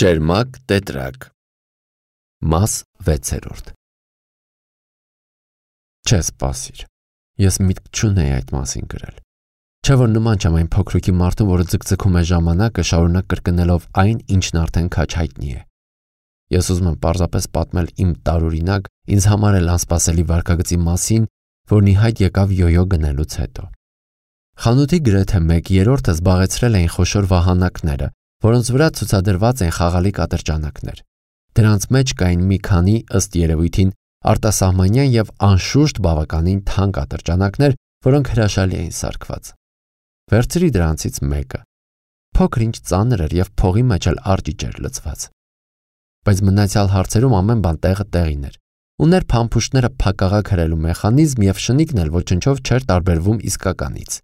Ճերմակ տետրակ Մաս 6 Չէ սպասիր, ես միտք չունեի այդ մասին գրել, չէ որ նման չեմ այն փոքրուկի մարդուն, որը ձգձգում է ժամանակը շարունակ կրկնելով այն, ինչն արդեն քաչ հայտնի է։ Ես ուզում եմ պարզապես պատմել իմ տարօրինակ, ինձ համար էլ անսպասելի վարքագծի մասին, որն ի հայտ եկավ յոյո գնելուց հետո։ Խանութի գրեթե 1/3-ը զբաղեցրել էին խոշոր վահանակները, որոնց վրա ցուցադրված են խաղալիք ատրճանակներ։ Դրանց մեջ կային մի քանի, ըստ երևույթին, արտասահմանյան եւ անշուշտ բավականին թանկ ատրճանակներ, որոնք հրաշալի էին սարքված։ Վերցրի դրանցից մեկը։ Փոքր-ինչ ծանր էր եւ փողի մեջ էլ արջիջ էր լցված։ Բայց մնացյալ հարցերում ամեն բան տեղը տեղին էր։ Ուներ փամփուշտները փակաղակ հրելու մեխանիզմ եւ շնիկն էլ ոչնչով չէր տարբերվում իսկականից։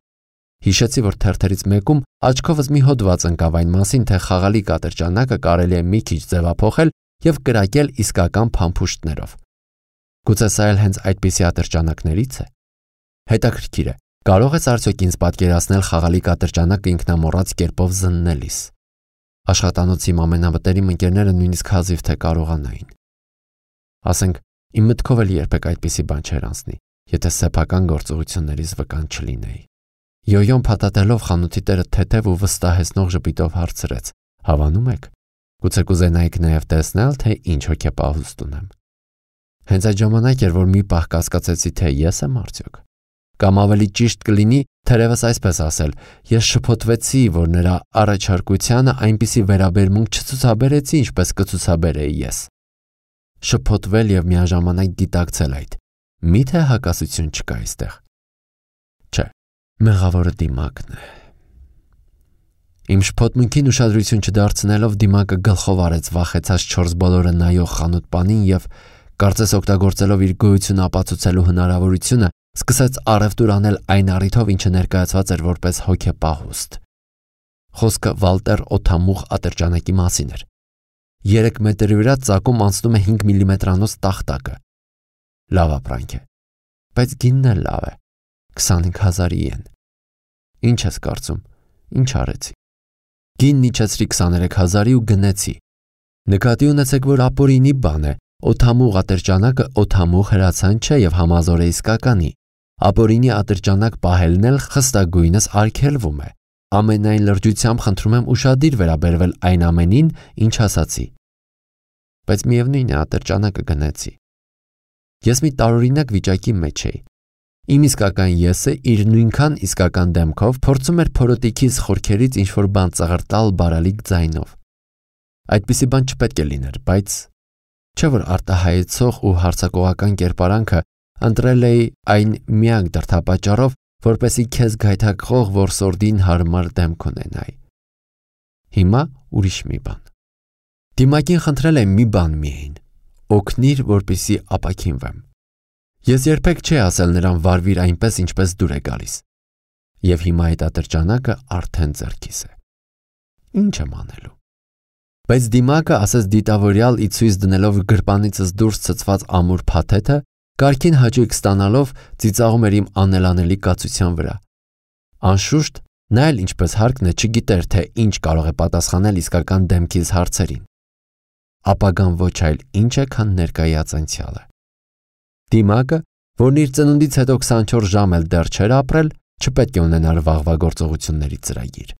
Հիշեցի, որ թերթերից մեկում աչքովս մի հոդված ընկավ այն մասին, թե խաղալիք ատրճանակը կարելի է մի քիչ ձևափոխել եւ կրակել իսկական փամփուշտներով։ Գուցե սա էլ հենց այդպիսի ատրճանակներից է։ Հետաքրքիր է, կարող ես արդյոք ինձ պատկերացնել խաղալիք ատրճանակը ինքնամոռաց կերպով զննելիս։ Աշխատանոցի ամենավտերիմ ընկերները նույնիսկ հազիվ թե կարողանային։ Ասենք, իմ մտքով էլ երբեք այդպիսի բան չէր անցնի, եթե սեփական գործողություններից վկան չլինեի։ Յոյոն փաթաթելով խանութի տերը թեթև ու վստահեցնող ժպիտով հարցրեց. «Հավանում եք։ Գուցե կուզենայիք նաև տեսնել, թե ինչ հոգեպահուստ ունեմ»։ Հենց այդ ժամանակ էր, որ մի պահ կասկածեցի, թե ես եմ արդյոք։ Կամ ավելի ճիշտ կլինի, թերևս այսպես ասել, ես շփոթվեցի, որ նրա առաջարկությանը այնպիսի վերաբերմունք չցուցաբերեցի, ինչպես կցուցաբերեի ես։ Շփոթվել եւ միաժամանակ գիտակցել այդ։ Միթե հակասություն չկա այստեղ։ Չէ, մեղավորը Դիմակն է։ Իմ շփոթմունքին ուշադրություն չդարձնելով Դիմակը գլխով արեց վախեցած 4 բոլորը նայող խանութպանին եւ կարծես օգտագործելով իր գոյությունը ապացուցելու հնարավորությունը, սկսեց առևտուր անել այն առիթով, ինչը ներկայացված էր որպես հոգեպահուստ։ Խոսքը Վալտեր օդամուղ ատրճանակի մասին էր։ 3 մետրի վրա ծակում անցնում է 5 մմ-անոց տախտակը։ Լավ ապրանք է, բայց գինն էլ լավ է, 25,000 ին։ Ինչ ես կարծում, ինչ արեցի։ Գինն իջեցրի 23,000-ի ու գնեցի։ Նկատի ունեցեք, որ ապօրինի բան է, օդամուղ ատրճանակը օդամուղ հրացան չէ եւ համազոր է իսկականի։ Ապօրինի ատրճանակ պահելն էլ խստագույնս արգելվում է։ Ամենայն լրջությամբ խնդրում եմ ուշադիր վերաբերվել այն ամենին, ինչ ասացի։ Բայց միևնույն է, ատրճանակը գնեցի։ Ես մի տարօրինակ վիճակի մեջ էի։ Իմ իսկական եսը իր նույնքան իսկական դեմքով փորձում էր փորոտիքիս խորքերից ինչ-որ բան ծղրտալ բարալիկ ձայնով։ Այդպիսի բան չպետք է լիներ, բայց չէ որ արտահայեցող ու հարցակողական կերպարանքը ընտրել էի այն միակ դրդապատճառով, որպեսզի քեզ գայթակղող որսորդին հարմար դեմք ունենայի։ Հիմա ուրիշ մի բան։ Դիմակին խնդրել եմ մի բան միայն՝ օգնիր, որպեսզի ապաքինվեմ։ Ես երբեք չի ասել նրան վարվիր այնպես, ինչպես դուր է գալիս։ Եվ հիմա այդ ատրճանակը արդեն ձեռքիս է։ Ինչ եմ անելու։ Բայց Դիմակը ասես դիտավորյալ ի ցույց դնելով գրպանիցս դուրս ցցված ամուր փաթեթը, կարգին հաճույք ստանալով ծիծաղում էր իմ անելանելի կացության վրա։ Անշուշտ, նա էլ ինչպես հարկն է չգիտեր, թե ինչ կարող է պատասխանել իսկական դեմքից հարցերին։ Ապագան ոչ այլ ինչ է, քան ներկայացած անցյալը։ Դիմակը, որն իր ծնունդից հետո 24 ժամ էլ դեռ չէր ապրել, չպետք է ունենար վաղվա գործողությունների ծրագիր։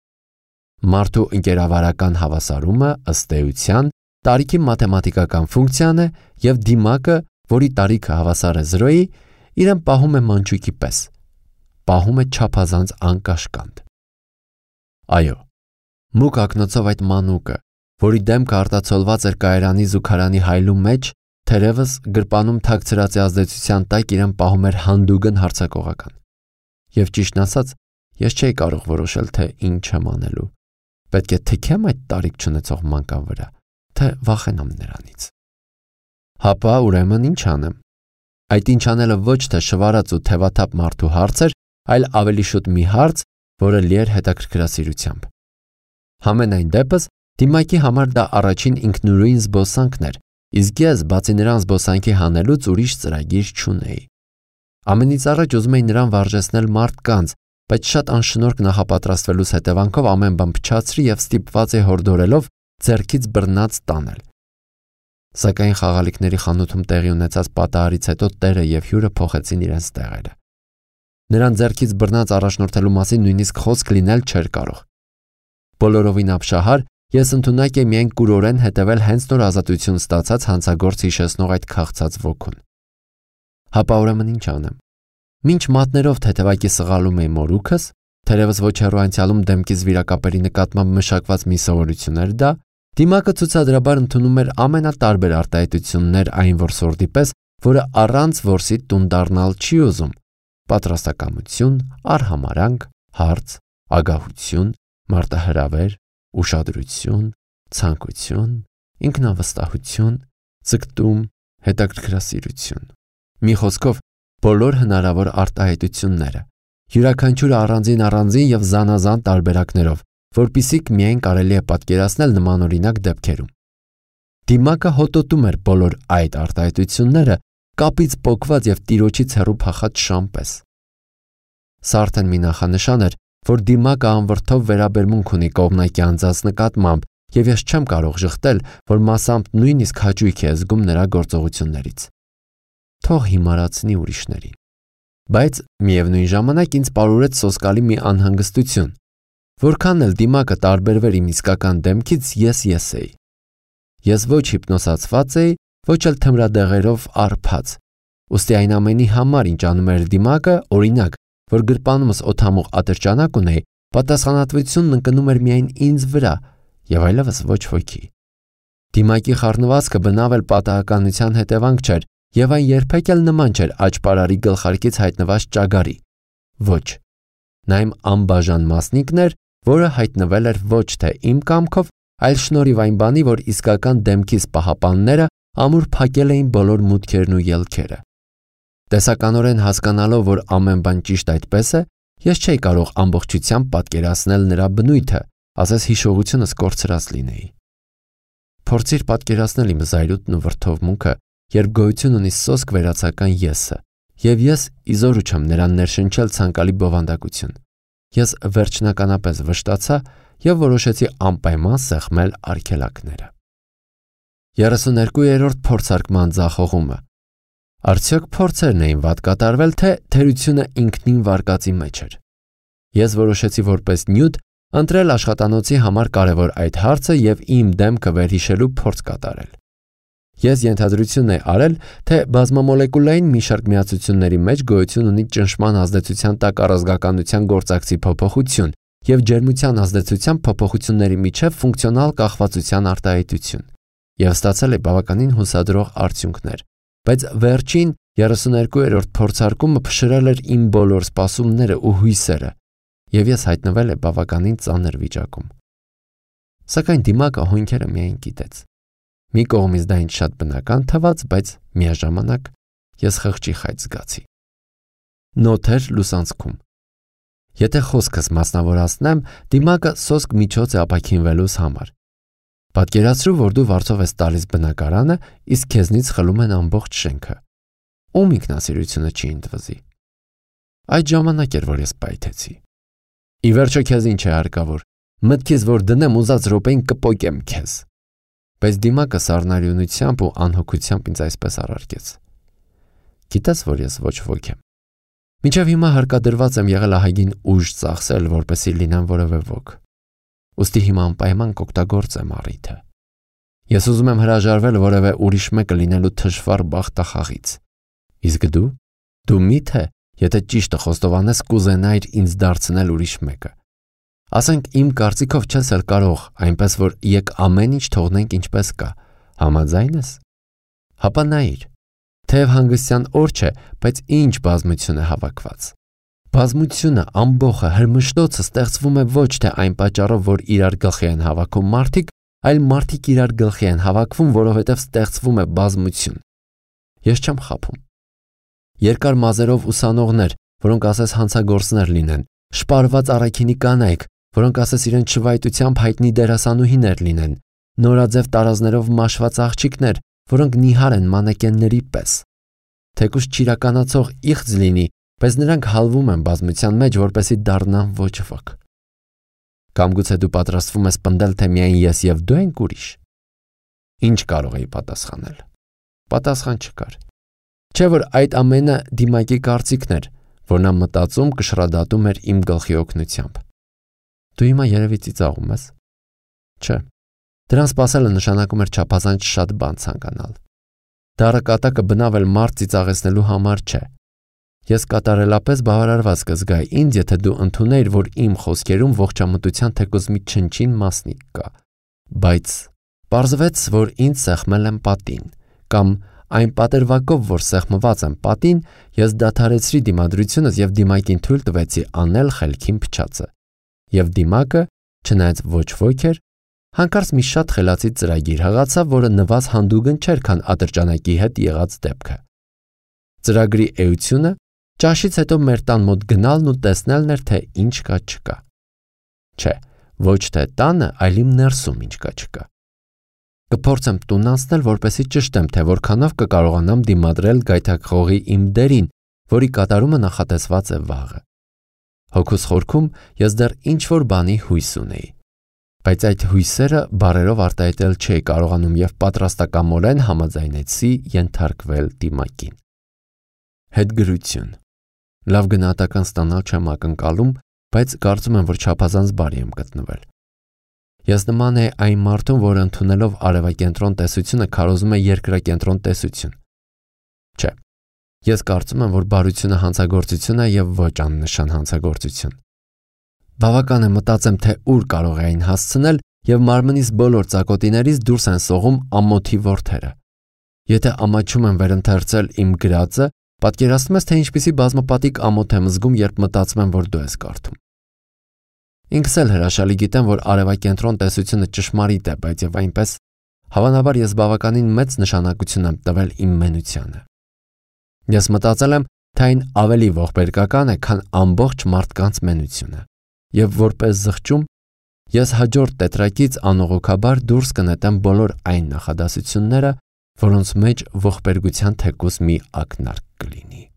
Մարդու ընկերավարական հավասարումը ըստ էության տարիքի մաթեմատիկական ֆունկցիան է եւ Դիմակը, որի տարիքը հավասար է 0-ի, իրեն պահում է մանչուկի պես։ Պահում է չափազանց անկաշկանդ։ Այո, մուկ ակնոցով այդ մանուկը, որի դեմքը արտացոլված էր կայարանի զուգարանի հայլու մեջ, թերևս գրպանում թաքցրած ազդեցության տակ իրեն պահում էր հանդուգն հարցակողական։ Եվ ճիշտն ասած, ես չէի կարող որոշել, թե ինչ եմ անելու։ Պետք է թքեմ այդ տարիք չունեցող մանկան վրա, թե վախենամ նրանից։ Հապա ուրեմն ինչ անեմ։ Այդ ինչ անելը ոչ թե շվարած ու թևաթափ մարդու հարց էր, այլ ավելի շուտ մի հարց, որը լի էր հետաքրքրասիրությամբ։ Համենայն դեպս, Դիմակի համար դա առաջին ինքնուրույն զբոսանքն էր, իսկ ես բացի նրան զբոսանքի հանելուց ուրիշ ծրագիր չունեի։ Ամենից առաջ ուզում էի նրան վարժեցնել մարդկանց, բայց շատ անշնորհք նախապատրաստվելուց հետևանքով ամեն բան փչացրի եւ ստիպված էի հորդորելով ձեռքից բռնած տանել։ Սակայն խաղալիքների խանութում տեղի ունեցած պատահարից հետո տերը եւ հյուրը փոխեցին իրենց տեղերը։ Նրան ձեռքից բռնած առաջնորդելու մասին նույնիսկ խոսք լինել չէր կարող։ Բոլորովին ապշահար, ես ընդունակ եմ միայն կուրորեն հետևել հենց նոր ազատություն ստացած հանցագործ հիշեցնող այդ քաղցած ոգուն։ Հապա ուրեմն ինչ անեմ։ Մինչ մատներով թեթևակի սղալում էի մորուքս, թերևս ոչ հեռու անցյալում դեմքից վիրակապերի նկատմամբ մշակված մի սովորություն էր դա, դիմակը ցուցադրաբար ընդունում էր ամենատարբեր արտահայտություններ այն որսորդի պես, որը առանց որսի տուն դառնալ չի ուզում։ Պատրաստակամություն, արհամարանք, հարց, ագահություն, մարտահրավեր, ուշադրություն, ցանկություն, ինքնավստահություն, ձգտում, հետաքրքրասիրություն։ Մի խոսքով, բոլոր հնարավոր արտահայտությունները, յուրաքանչյուրը առանձին եւ զանազան տարբերակներով, որպիսիք միայն կարելի է պատկերացնել նմանօրինակ դեպքերում։ Դիմակը հոտոտում էր բոլոր այդ արտահայտությունները կապից պոկված եւ տիրոջից հեռու փախած շան պես։ Սա արդեն մի նախանշան էր, որ դիմակը անվրդով վերաբերմունք ունի կողմնակի անձանց նկատմամբ, եւ ես չեմ կարող ժխտել, որ մասամբ նույնիսկ հաճույք է զգում նրա գործողություններից։ Թող հիմարացնի ուրիշներին։ Բայց միևնույն ժամանակ ինձ պարուրեց սոսկալի մի անհանգստություն, որքան էլ դիմակը տարբերվեր իմ իսկական դեմքից, ես էի։ Ես ոչ հիպնոսացված էի, ոչ էլ թմրադեղերով արփած։ Ուստի այն ամենի համար, ինչ անում էր դիմակը, օրինակ, որ գրպանումս օդամուղ ատրճանակ ունեի, պատասխանատվությունն ընկնում էր միայն ինձ վրա եւ այլևս ոչ ոքի։ Դիմակի խառնվածքը բնավ էլ պատահականության հետևանք չէր եւ այն երբեք էլ նման չէր աճպարարի գլխարկից հայտնված ճագարի։ Ոչ։ Նա իմ անբաժան մասնիկն էր, որը հայտնվել էր ոչ թե իմ կամքով, այլ շնորհիվ այն բանի, որ իսկական դեմքիս պահապանները ամուր փակել էին բոլոր մուտքերն ու ելքերը։ Տեսականորեն հասկանալով, որ ամեն բան ճիշտ այդպես է, ես չէի կարող ամբողջությամբ պատկերացնել նրա բնույթը, ասես հիշողությունս կորցրած լինեի։ Փորձիր պատկերացնել իմ զայրույթն ու վրդովմունքը, երբ գոյություն ունի սոսկ վերացական եսը, եւ ես իզորու չեմ նրան ներշնչել ցանկալի բովանդակություն։ Ես վերջնականապես վշտացա եւ որոշեցի անպայման սեղմել արգելակները։ 32-րդ փորձարկման ձախողումը։ Արդյոք փորձերն էին վատ կատարվել, թե թերությունը ինքնին վարկածի մեջ էր։ Ես որոշեցի որպես նյութ ընտրել աշխատանոցի համար կարևոր այդ հարցը եւ իմ դեմքը վերհիշելու փորձ կատարել։ Ես ենթադրություն էի արել, թե բազմամոլեկուլային մի շարք միացությունների մեջ գոյություն ունի ճնշման ազդեցության տակ առազգականության գործակցի փոփոխություն եւ ջերմության ազդեցության փոփոխությունների միջև ֆունկցիոնալ կախվածության արտահայտություն, եւ ստացել է բավականին հուսադրող արդյունքներ, բայց վերջին 32-րդ փորձարկումը փշրել էր իմ բոլոր սպասումները ու հույսերը, եւ ես հայտնվել եմ բավականին ծանր վիճակում։ Սակայն դիմակը հոնքերը միայն գիտեց։ Մի կողմից դա ինձ շատ բնական թվաց, բայց միաժամանակ ես խղճի խայծ զգացի։ Նոթեր լուսանցքում։ Եթե խոսքս մասնավորացնեմ, դիմակը սոսկ միջոց է ապաքինվելուս համար։ Պատկերացրու, որ դու վարձով ես տալիս բնակարանը, իսկ քեզնից խլում են ամբողջ շենքը։ Ում ինքնասիրությունը չի ընդվզի։ Այդ ժամանակ էր, որ ես պայթեցի։ Ի վերջո քեզ ինչ է հարկավոր։ Մտքից որ դնեմ ուզած րոպեին կպոկեմ քեզ։ Բայց դիմակը սառնարյունությամբ ու անհոգությամբ ինձ այսպես առարկեց. Գիտես, որ ես ոչ ոք եմ։ Մինչև հիմա հարկադրված եմ եղել ահագին ուժ ծախսել, որպեսզի լինեմ որևէ ոք։ Ուստի հիմա անպայման կօգտագործեմ առիթը։ Ես ուզում եմ հրաժարվել որևէ ուրիշ մեկը լինելու թշվառ բախտախաղից։ Իսկ դու միթե, եթե ճիշտը խոստովանես, կուզենայիր ինձ դարձնել ուրիշ մեկը։ Ասենք իմ կարծիքով չես էլ կարող, այնպես որ եկ ամեն ինչ թողնենք ինչպես կա, համաձայն ես։ Հապա նայիր, թեև հանգստյան օր չէ, բայց ինչ բազմություն է հավաքված։ Բազմությունը, ամբողը, հրմշտոցը ստեղծվում է ոչ թե այն պատճառով, որ իրար գլխի են հավաքում մարդիկ, այլ մարդիկ իրար գլխի են հավաքվում, որովհետև ստեղծվում է բազմություն։ Ես չեմ խաբում։ Երկար մազերով ուսանողներ, որոնք ասես հանցագործներ լինեն, շպարված առաքինի կանայք, որոնք ասես իրենց շվայտությամբ հայտնի դերասանուհիներ լինեն, նորաձև տարազներով մաշված աղջիկներ, որոնք նիհար են մանեկենների պես։ Թեկուզ չիրականացող իղձ լինի, բայց նրանք հալվում են բազմության մեջ, որպեսզի դառնան ոչ ոք։ Կամ գուցե դու պատրաստվում ես պնդել, թե միայն ես եւ դու ենք ուրիշ։ Ինչ կարող էի պատասխանել։ Պատասխան չկար։ Չէ՞ որ այդ ամենը դիմակի կարծիքն էր, որ նա մտածում կշռադատում էր իմ գլխի օգնությամբ։ Դու հիմա երևի ծիծաղում ես։ Չէ։ Դրան սпасելը նշանակում էր չափազանց շատ բան ցանկանալ։ Դառը կատակը բնավ էլ մարդ ծիծաղեցնելու համար չէ։ Ես կատարելապես բավարարված կզգայի ինձ, եթե դու ընդունեիր, որ իմ խոսքերում ողջամտության թեկուզ մի չնչին մասնիկ կա, բայց պարզվեց, որ ինձ սեղմել են պատին, կամ այն պատերվակով, որ սեղմված եմ պատին, ես դադարեցրի դիմադրությունս եւ դիմակին թույլ տվեցի անել խելքին փչացը։ Եվ դիմակը, չնայած ոչ ոք էր, հանկարծ մի շատ խելացի ծրագիր հղացավ, որը նվազ հանդուգն չէր, քան ատրճանակի հետ եղած դեպքը։ Ծրագրի էությունը ճաշից հետո մեր տան մոտ գնալն ու տեսնելն էր, թե ինչ կա չկա։ Չէ, ոչ թե տանը, այլ իմ ներսում ինչ կա չկա։ Կփորձեմ տուն անցնել, որպեսզի ճշտեմ, թե որքանով կկարողանամ դիմադրել գայթակղողի իմ դերին, որի կատարումը նախատեսված է վաղը։ Հոգուս խորքում ես դեռ ինչ-որ բանի հույս ունեի, բայց այդ հույսերը բառերով արտահայտել չէի կարողանում եւ պատրաստակամորեն համաձայնեցի ենթարկվել դիմակին։ Հետգրություն։ Լավ գնահատական ստանալ չեմ ակնկալում, բայց կարծում եմ, որ չափազանց բարի եմ գտնվել։ Ես նման է այն մարդուն, որը ընդունելով արևակենտրոն տեսությունը քարոզում է երկրակենտրոն տեսություն։ Չէ։ Ես կարծում եմ, որ բարությունը հանցագործություն է եւ ոչ աննշան հանցագործություն։ Բավական է մտածեմ, թե ուր կարող է այն հասցնել եւ մարմնիս բոլոր ծակոտիներից դուրս են սողում ամոթի ворթերը։ Եթե ամաչում եմ վերընթերցել իմ գրածը, պատկերացնում ես, թե ինչպիսի բազմապատիկ ամոթ եմ զգում, երբ մտածում եմ, որ դու ես կարդում։ Ինքս էլ հրաշալի գիտեմ, որ արևակենտրոն տեսությունը ճշմարիտ է, բայց եւ այնպես հավանաբար ես բավականին մեծ նշանակություն եմ տվել իմ մենությանը։ Ես մտածել եմ, թե այն ավելի ողբերգական է, քան ամբողջ մարդկանց մենությունը։ Եվ որպես զղջում, ես հաջորդ տետրակից անողոքաբար դուրս կնետեմ բոլոր այն նախադասությունները, որոնց մեջ ողբերգության թեկուզ մի ակնարկ կլինի։